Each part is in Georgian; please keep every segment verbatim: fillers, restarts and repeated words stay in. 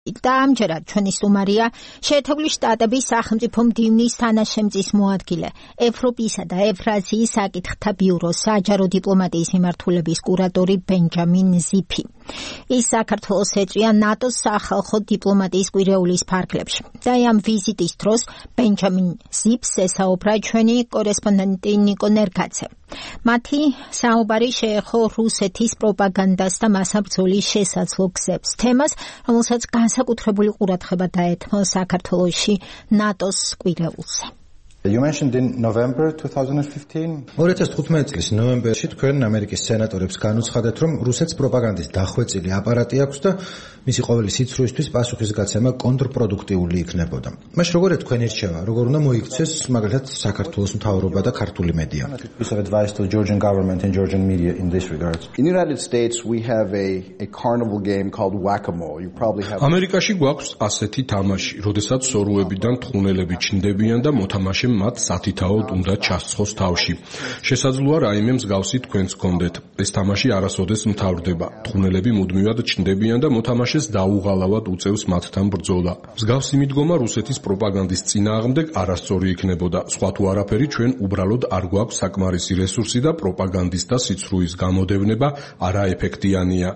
და ამჯერად ჩვენი სტუმარია შეერთებული შტატების სახელმწიფო მდივნის თანაშემწის მოადგილე, ევროპისა და ევრაზიის საკითხთა ბიუროს საჯარო დიპლომატიის მიმართულების კურატორი ბენჯამინ ზიფი. ის საქართველოს ეწვია ნატოს სახალხო დიპლომატიის კვირეულის ფარგლებში. და ამ ვიზიტის დროს ბენჯამინ ზიფს ესაუბრა ჩვენი კორესპონდენტი ნიკო ნერგაძე. მათი საუბარი შეეხო რუსეთის პროპაგანდას და მასაბრძოლის შესაძლო გზებს, თემას, რომელსაც განსაკუთრებული ყურადღება დაეთმო საქართველოში ნატოს კვირეულზე. You mentioned in November twenty fifteen. ორი ათას თხუთმეტი წლის ნოემბერში თქვენ ამერიკის სენატორებს განუცხადეთ, რომ რუსეთს პროპაგანდის დახვეწილი აპარატი აქვს და მისი ყოველი სიცრუისთვის პასუხისგაცემა კონტრპროდუქტიული იქნებოდა. მაშ როგორ თქვენი რჩევა, როგორ უნდა მოიქცეს მაგალითად საქართველოს მთავრობა და ქართული მედია? Piece of advice to the Georgian government and Georgian media in this regard. In the United States we have a a carnival game called whack-a-mole. You probably have ამერიკაში გვაქვს ასეთი თამაში, როდესაც სორუებიდან თხუნელები ჩნდებიან და მოთამაშემ მათ სათითაოდ უნდა ჩასცხოს თავში. შესაძლოა რაიმე მსგავსი თქვენს გქონდეთ. ეს თამაში არასოდეს მთავრდება. თხუნელები მუდმივად ჩნდებიან და მოთამაშეს დაუღალავად უწევს მათთან ბრძოლა. მსგავსი მიდგომა რუსეთის პროპაგანდის წინააღმდეგ არასწორი იქნებოდა. სხვა თუ არაფერი, ჩვენ უბრალოდ არ გვაქვს საკმარისი რესურსი და პროპაგანდისტთა სიცრუის გამოდევნება არაეფექტიანია.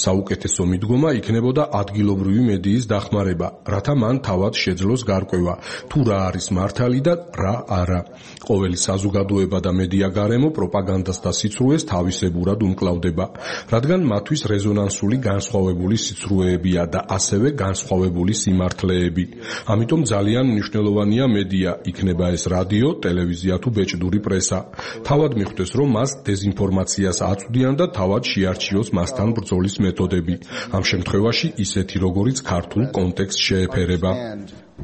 საუკეთესო მიდგომა იქნებოდა ადგილობრივი მედიის დახმარება, რათა მან თავად შეძლოს გარკვევა, თუ რა არის მართალი და რა არა. ყოველი საზოგადოება და მედია გარემო პროპაგანდასთან სიცრუეს თავისებურად უმკლავდება, რადგან მათთვის რეზონანსული განსხვავებული სიცრუეებია და ასევე განსხვავებული სიმართლეები. ამიტომ ძალიან მნიშვნელოვანია მედია, იქნება ეს რადიო, ტელევიზია თუ ბეჭდური პრესა. თავად მიხვდეს, რომ მას დეზინფორმაციას აწვდიან და თავად შეარჩიოს მასთან ბრძოლის მეთოდები. ამ შემთხვევაში ისეთი, როგორიც ქართულ კონტექსტს შეეფერება.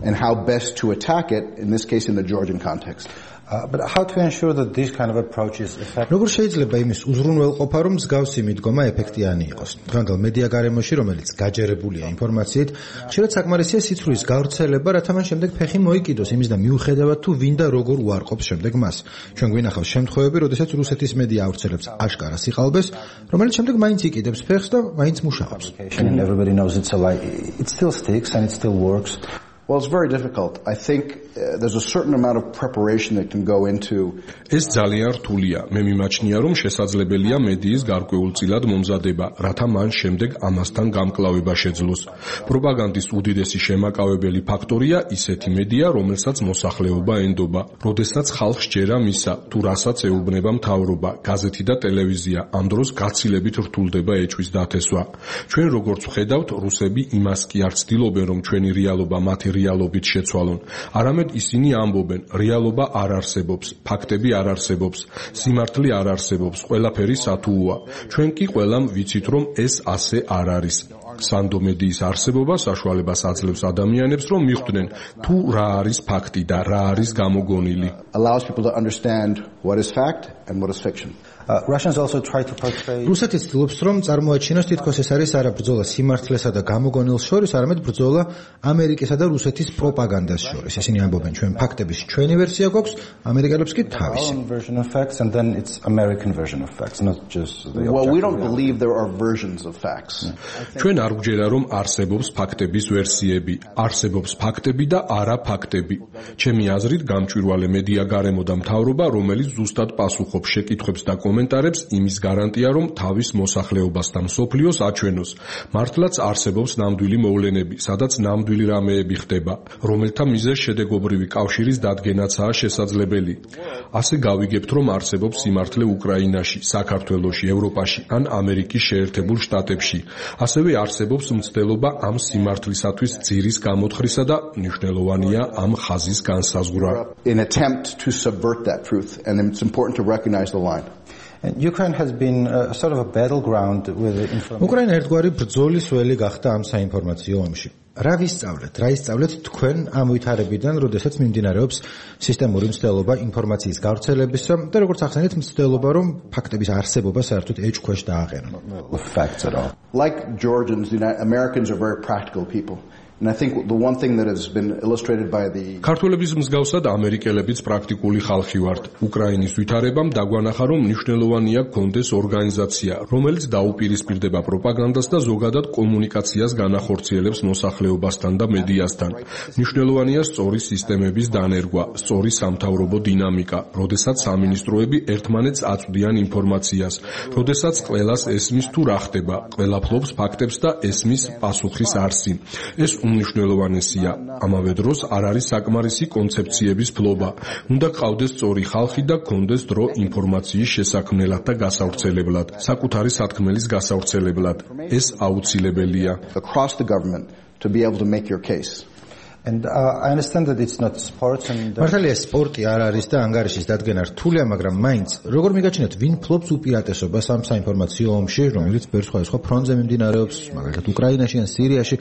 and how best to attack it, in this case in the Georgian context. Uh, but how to ensure that this kind of approach is effective? როგორ შეიძლება იმის უზრუნველყოფა, რომ მსგავსი მიდგომა ეფექტიანი იყოს? დღევანდელ მედია გარემოში, რომელიც გაჯერებულია ინფორმაციით, ხშირად საკმარისია სიცრუის გავრცელება, რათა მან შემდეგ ფეხი მოიკიდოს იმის და მიუხედავად თუ ვინ და როგორ უარყოფს შემდეგ მას. ჩვენ გვინახავს შემთხვევები, როდესაც რუსეთის მედია ავრცელებს აშკარა სიყალბეს, რომელიც შემდეგ მაინც იკიდებს ფეხს და მაინც მუშაობს. And everybody knows it's a lie. It still sticks and it still works. Well, it's very difficult. I think uh, there's a certain amount of preparation that can go into. ეს ძალიან რთულია. მე მიმაჩნია, რომ შესაძლებელია მედიის გარკვეულწილად მომზადება, რათა მან შემდეგ ამასთან გამკლავება შეძლოს. პროპაგანდის უდიდესი შემაკავებელი ფაქტორია ისეთი მედია, რომელსაც მოსახლეობა ენდობა. როდესაც ხალხს ჯერა მისა, თუ რასაც ეუბნება მთავრობა, გაზეთი და ტელევიზია, ამ დროს გაცილებით რთულდება ეჭვის დათესვა. ჩვენ როგორც ვხედავთ, რუსები იმას კი არ ცდილობენ, რომ ჩვენი რეალობა მათი რეალობით შეცვალონ. არამედ ისინი ამბობენ, რეალობა არ არსებობს, ფაქტები არ არსებობს, სიმართლე არ არსებობს, ყველაფერი სათუოა. ჩვენ კი ყველამ ვიცით, რომ ეს ასე არ არის. სანდო მედიის არსებობა საშუალებას აძლევს ადამიანებს, რომ მიხვდნენ, თუ რა არის ფაქტი და რა არის გამოგონილი. Allows people to understand what is fact and what is fiction. Uh, Russians also try to portray რუსეთი ცდილობს, რომ წარმოაჩინოს თითქოს ეს არის არა ბრძოლა სიმართლესა და გამოგონილს შორის, არამედ ბრძოლა ამერიკისა და რუსეთის პროპაგანდას შორის. ესენი ამბობენ, ჩვენ ფაქტების ჩვენი ვერსია გვაქვს, ამერიკელებს კი თავისი. own version of facts and then it's American version of facts, not just the Well, we don't objective believe there are versions of facts. ჩვენ არ გვჯერა, რომ არსებობს ფაქტების ვერსიები, არსებობს ფაქტები და არა ფაქტები. ჩემი აზრით, გამჭვირვალე მედია გარემო და მთავრობა, რომელიც ზუსტად პასუხობს შეკითხვებს და კომენტარებს, იმის გარანტია, რომ თავის მოსახლეობას და მსოფლიოს აჩვენოს. მართლაც არსებობს ნამდვილი მოვლენები, სადაც ნამდვილი რამეები ხდება, რომელთა მიზეზ შედეგობრივი კავშირის დადგენაცაა შესაძლებელი. ასე გავიგებთ, რომ არსებობს სიმართლე უკრაინაში, საქართველოში, ევროპაში ან ამერიკის შეერთებულ შტატებში. ასევე არსებობს მცდელობა ამ სიმართლისათვის ძირის გამოთხრისა და მნიშვნელოვანია ამ ხაზის განსაზღვრა. An attempt to subvert that truth, and it's important to recognize the line. And Ukraine has been a sort of a battleground with the information. უკრაინა ერთგვარი ბრძოლის ველი გახდა ამ საინფორმაციო ომში. რა ვისწავლეთ? რა ისწავლეთ თქვენ ამ ვითარებიდან, როდესაც მიმდინარეობს სისტემური მცდელობა ინფორმაციის გავრცელებისა და როგორც ახსენეთ, მცდელობა, რომ ფაქტების არსებობა საერთოდ ეჭქვეშ დააყენონ. Facts at all. Like Georgians, the United, Americans are very practical people. And I think the one thing that has been illustrated by the ქართველების მსგავსად ამერიკელებიც პრაქტიკული ხალხი ვართ. უკრაინის ვითარებამ დაგვანახა, რომ მნიშვნელოვანია გქონდეს ორგანიზაცია, რომელიც დაუპირისპირდება პროპაგანდას და ზოგადად კომუნიკაციას განახორციელებს მოსახლეობასთან და მედიასთან. მნიშვნელოვანია სწორი სისტემების დანერგვა, სწორი სამთავრობო დინამიკა, როდესაც სამინისტროები ერთმანეთს აწვდიან ინფორმაციას, როდესაც ყველას ესმის თუ რა ხდება, ყველა ფლობს ფაქტებს და ესმის პასუხის არსი. ეს უმნიშვნელოვანესია. ამავე დროს არ არის საკმარისი კონცეფციების ფლობა. უნდა გყავდეს სწორი ხალხი და გქონდეს დრო ინფორმაციის შესაქმნელად და გასავრცელებლად, საკუთარი სათქმელის გასავრცელებლად. ეს აუცილებელია. across the government to be able to make your case. And uh, I understand that it's not sports and მართალია სპორტი არ არის და ანგარიშის დადგენა რთულია, მაგრამ მაინც როგორ მიგაჩნიათ ვინ ფლობს უპირატესობას ამ საინფორმაციო ომში, რომელიც ბევრ სხვადასხვა ფრონტზე მიმდინარეობს, მაგალითად უკრაინაში ან სირიაში.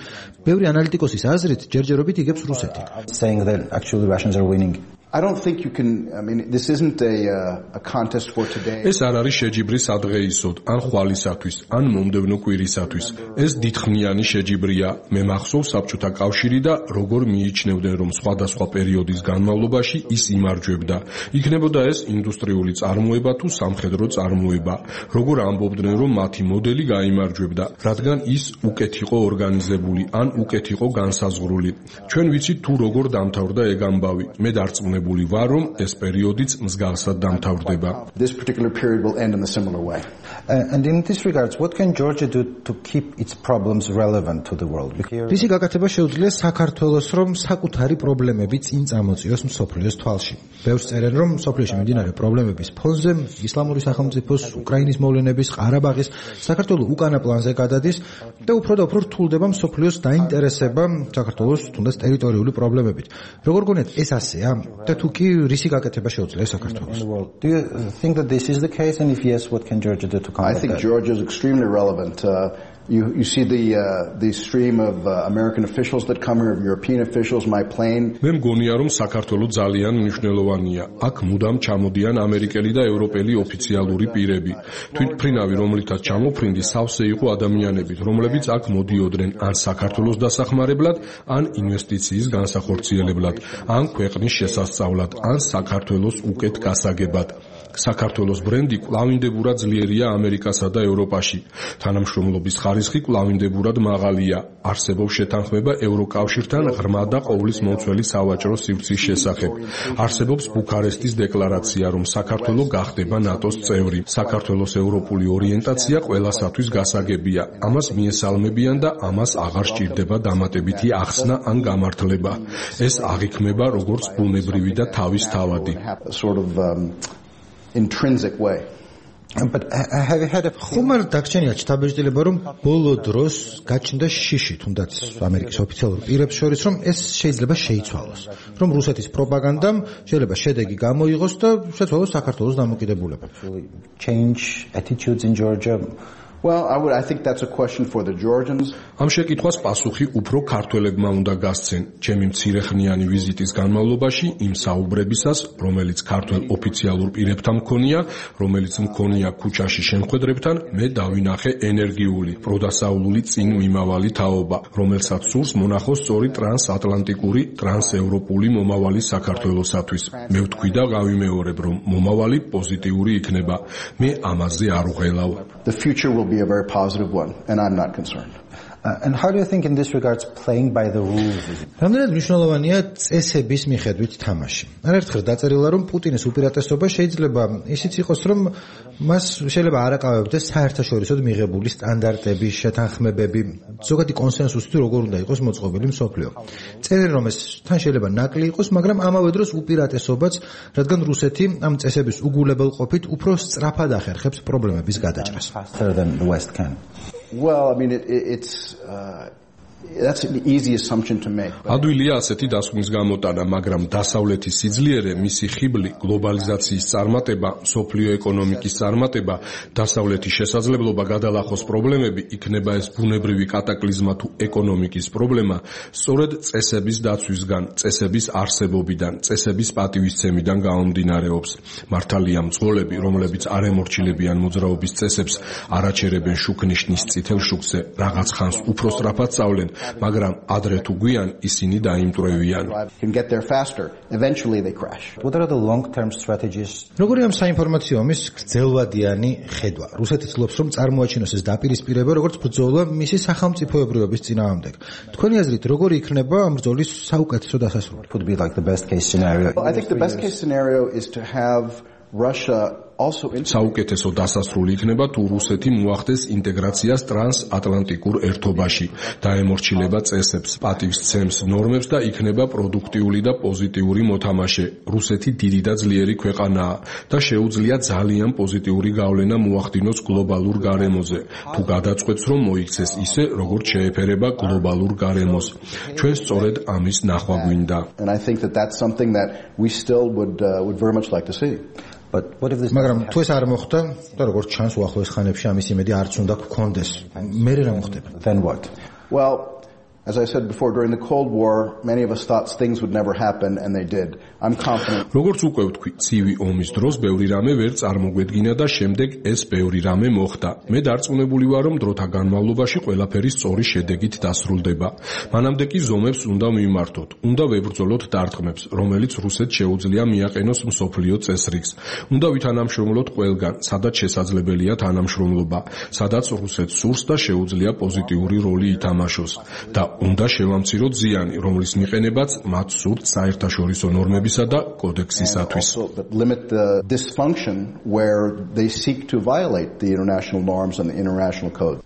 ბევრი ანალიტიკოსის აზრით ჯერჯერობით იგებს რუსეთი. saying that actually Russians are winning. I don't think you can, I mean, this isn't a, uh, a contest for today. ეს არ არის შეჯიბრი სადღეისოდ, ან ხვალისათვის, ან მომდევნო კვირისათვის. ეს დიდხნიანი შეჯიბრია. მე მახსოვს საბჭოთა კავშირი და როგორ მიიჩნევდნენ, რომ სხვადასხვა პერიოდის განმავლობაში ის იმარჯვებდა. იქნებოდა ეს ინდუსტრიული წარმოება თუ სამხედრო წარმოება. როგორ ამბობდნენ, რომ მათი მოდელი გაიმარჯვებდა, რადგან ის უკეთ იყო ორგანიზებული, ან უკეთ იყო განსაზღვრული. ჩვენ ვიცით თუ როგორ დამთავრდა ეგ ამბავი. მე დარწმუნებული ვარ, რომ ეს პერიოდიც მსგავსად დამთავრდება. This particular period will end in a similar way. Uh, and in this regards, what can Georgia do to keep its problems relevant to the world? რისი გაკეთება შეუძლია საქართველოს, რომ საკუთარი პრობლემები წინ წამოწიოს მსოფლიოს თვალში. ბევრს წერენ, რომ მსოფლიოში მიმდინარე პრობლემების ფონზე ისლამური სახელმწიფოს, უკრაინის მოვლენების, ყარაბაღის, საქართველოს უკანა პლანზე გადადის და უფრო და უფრო რთულდება მსოფლიოს დაინტერესება საქართველოს თუნდაც ტერიტორიული პრობლემებით. როგორ გონიათ ეს ასეა? და თუ კი რისი გაკეთება შეუძლია საქართველოს? Do you think that this is the case, and if yes, what can Georgia do to combat I think that? Georgia is extremely relevant. Uh, You, you see the uh, the stream of uh, American officials that come here, of European officials, my plane. მე მგონია, რომ საქართველო ძალიან მნიშვნელოვანია. აქ მუდამ ჩამოდიან ამერიკელი და ევროპელი ოფიციალური პირები. თვითმფრინავი, რომლითაც ჩამოფრინდი, სავსე იყო ადამიანებით, რომლებიც აქ მოდიოდნენ ან საქართველოს დასახმარებლად, ან ინვესტიციის განსახორციელებლად, ან ქვეყნის შესასწავლად, ან საქართველოს უკეთ გასაგებად. საქართველოს ბრენდი კვლავინდებურად ძლიერია ამერიკასა და ევროპაში. თანამშრომლობის ხარისხი კვლავინდებურად მაღალია. არსებობს შეთანხმება ევროკავშირთან ღრმა და ყოვლის მომცველი სავაჭრო სივრცის შესახებ. არსებობს ბუქარესტის დეკლარაცია, რომ საქართველო გახდება ნატოს წევრი. საქართველოს ევროპული ორიენტაცია ყველასათვის გასაგებია. ამას მიესალმებიან და ამას აღარ სჭირდება დამატებითი ახსნა ან გამართლება. ეს აღიქმება როგორც ბუნებრივი და თავისთავადი. Sort of um, intrinsic way. But have you had a ხომ არ დაგჭენიათ შთაბეჭდილება, რომ ბოლო დროს გაჩნდა შიში თუნდაც ამერიკის ოფიციალურ პირებს შორის, რომ ეს შეიძლება შეიცვალოს, რომ რუსეთის პროპაგანდამ შეიძლება შედეგი გამოიღოს და შეცვალოს საქართველოს დამოკიდებულება? change attitudes in Georgia? Well, I would I think that's a question for the Georgians. ამ შეკითხვას პასუხი უფრო ქართველებმა უნდა გასცენ. ჩემი მცირეხნიანი ვიზიტის განმავლობაში იმ საუბრებისას, რომელიც ქართველ ოფიციალურ პირებთან მქონია, რომელიც მქონია ქუჩაში შემხედრებთან, მე დავინახე ენერგიული, პროდასავლური წინ მიმავალი თაობა, რომელსაც სურს მონახოს სწორი ტრანსატლანტიკური, ტრანსევროპული მომავალი საქართველოსათვის. მე ვთქვი და გავიმეორებ, რომ მომავალი პოზიტიური იქნება. მე ამაზე არ ვღელავ. The future will be a very positive one, and I'm not concerned. Uh, and how do you think in this regards playing by the rules is? რამდენად მნიშვნელოვანია წესების მიხედვით თამაში? არაერთხელ დაწერილა, რომ პუტინის უპირატესობა შეიძლება ისიც იყოს, რომ მას შეიძლება არ აკავებდეს საერთაშორისოდ მიღებული სტანდარტები, შეთანხმებები, ზოგადი კონსენსუსი თუ როგორ უნდა იყოს მოწყობილი მსოფლიო. წერენ, რომ ეს თან შეიძლება ნაკლი იყოს, მაგრამ ამავე დროს უპირატესობაც, რადგან რუსეთი ამ წესების უგულებელყოფით უფრო სწრაფად ახერხებს პრობლემების გადაჭრას. Faster than the West can. Well, I mean, it, it, it's uh, that's an easy assumption to make. ადვილია ასეთი დასკვნის გამოტანა, მაგრამ დასავლეთის სიძლიერე, მისი ხიბლი, გლობალიზაციის წარმატება, სოფლიო ეკონომიკის წარმატება, დასავლეთის შესაძლებლობა გადალახოს პრობლემები, იქნება ეს ბუნებრივი კატაკლიზმა თუ ეკონომიკის პრობლემა, სწორედ წესების დაცვისგან, წესების არსებობიდან, წესების პატივისცემიდან გამომდინარეობს. მართალია მძღოლები, რომლებიც არ ემორჩილებიან მოძრაობის წესებს, არაჩერებენ შუქნიშნის წითელ შუქზე, რაღაც ხანს უფრო სწრაფად სწავლენ, მაგრამ ადრე თუ გვიან ისინი დაიმტვრევიან. Can get there faster. Eventually they crash. What are the long-term strategies? როგორია ამ საინფორმაციო ომის გრძელვადიანი ხედვა? რუსეთი ცდილობს რომ წარმოაჩინოს ეს დაპირისპირება როგორც ბრძოლა მისი სახელმწიფოებრიობის წინააღმდეგ. თქვენი აზრით როგორი იქნება ამ ბრძოლის საუკეთესო დასასრული? Would be like the best case scenario. Well, I think the best case scenario is to have Russia also საუკეთესო დასასრული იქნება თუ რუსეთი მოახდენს ინტეგრაციას ტრანსატლანტიკურ ერთობაში, დაემორჩილება წესებს, პატივსცემს ნორმებს და იქნება პროდუქტიული და პოზიტიური მოთამაშე. რუსეთი დიდი და ძლიერი ქვეყანაა და შეუძლია ძალიან პოზიტიური გავლენა მოახდინოს გლობალურ გარემოზე, თუ გადაწყვეტს რომ მოიქცეს ისე, როგორც შეეფერება გლობალურ გარემოს. ჩვენ სწორედ ამის ნახვა გვინდა. And I think that that's something that we still would uh, would very much like to see. But what if this მაგრამ თუ ეს არ მოხდა და როგორც ჩანს უახლოეს ხანებში ამის იმედი არც უნდა გქონდეს, მე რა მოხდება? Then what? Well, as I said before, during the Cold War, many of us thought things would never happen, and they did. I'm confident. როგორც უკვე ვთქვი, ცივი ომის დროს ბევრი რამე ვერ წარმოგვედგინა და შემდეგ ეს ბევრი რამე მოხდა. მე დარწმუნებული ვარ, რომ დროთა განმავლობაში ყველაფერი სწორი შედეგით დასრულდება. მანამდე კი ზომებს უნდა მიმართოთ, უნდა ვებრძოლოთ დარტყმებს, რომელიც რუსეთს შეუძლია მიაყენოს მსოფლიო წესრიგს. უნდა ვითანამშრომლოთ ყველგან, სადაც შესაძლებელია თანამშრომლობა, სადაც რუსეთს სურს და შეუძლია პოზიტიური როლი ითამაშოს. და უნდა შევამციროთ ზიანი, რომლის მიყენებაც მათ სურთ საერთაშორისო ნორმებისა და კოდექსისათვის. Limit the dysfunction where they seek to violate the international norms and the international code.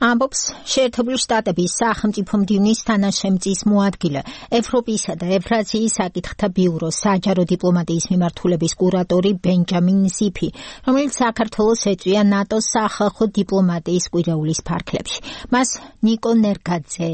ამბობს შეერთებული შტატების სახელმწიფო მდივნის თანაშემწის მოადგილე, ევროპისა და ევრაზიის საკითხთა ბიუროს საჯარო დიპლომატიის მიმართულების კურატორი ბენჯამინ ზიფი, რომელიც საქართველოს ეწვია ნატოს სახალხო დიპლომატიის კვირეულის ფარგლებში. მას ნიკო ნერგაძე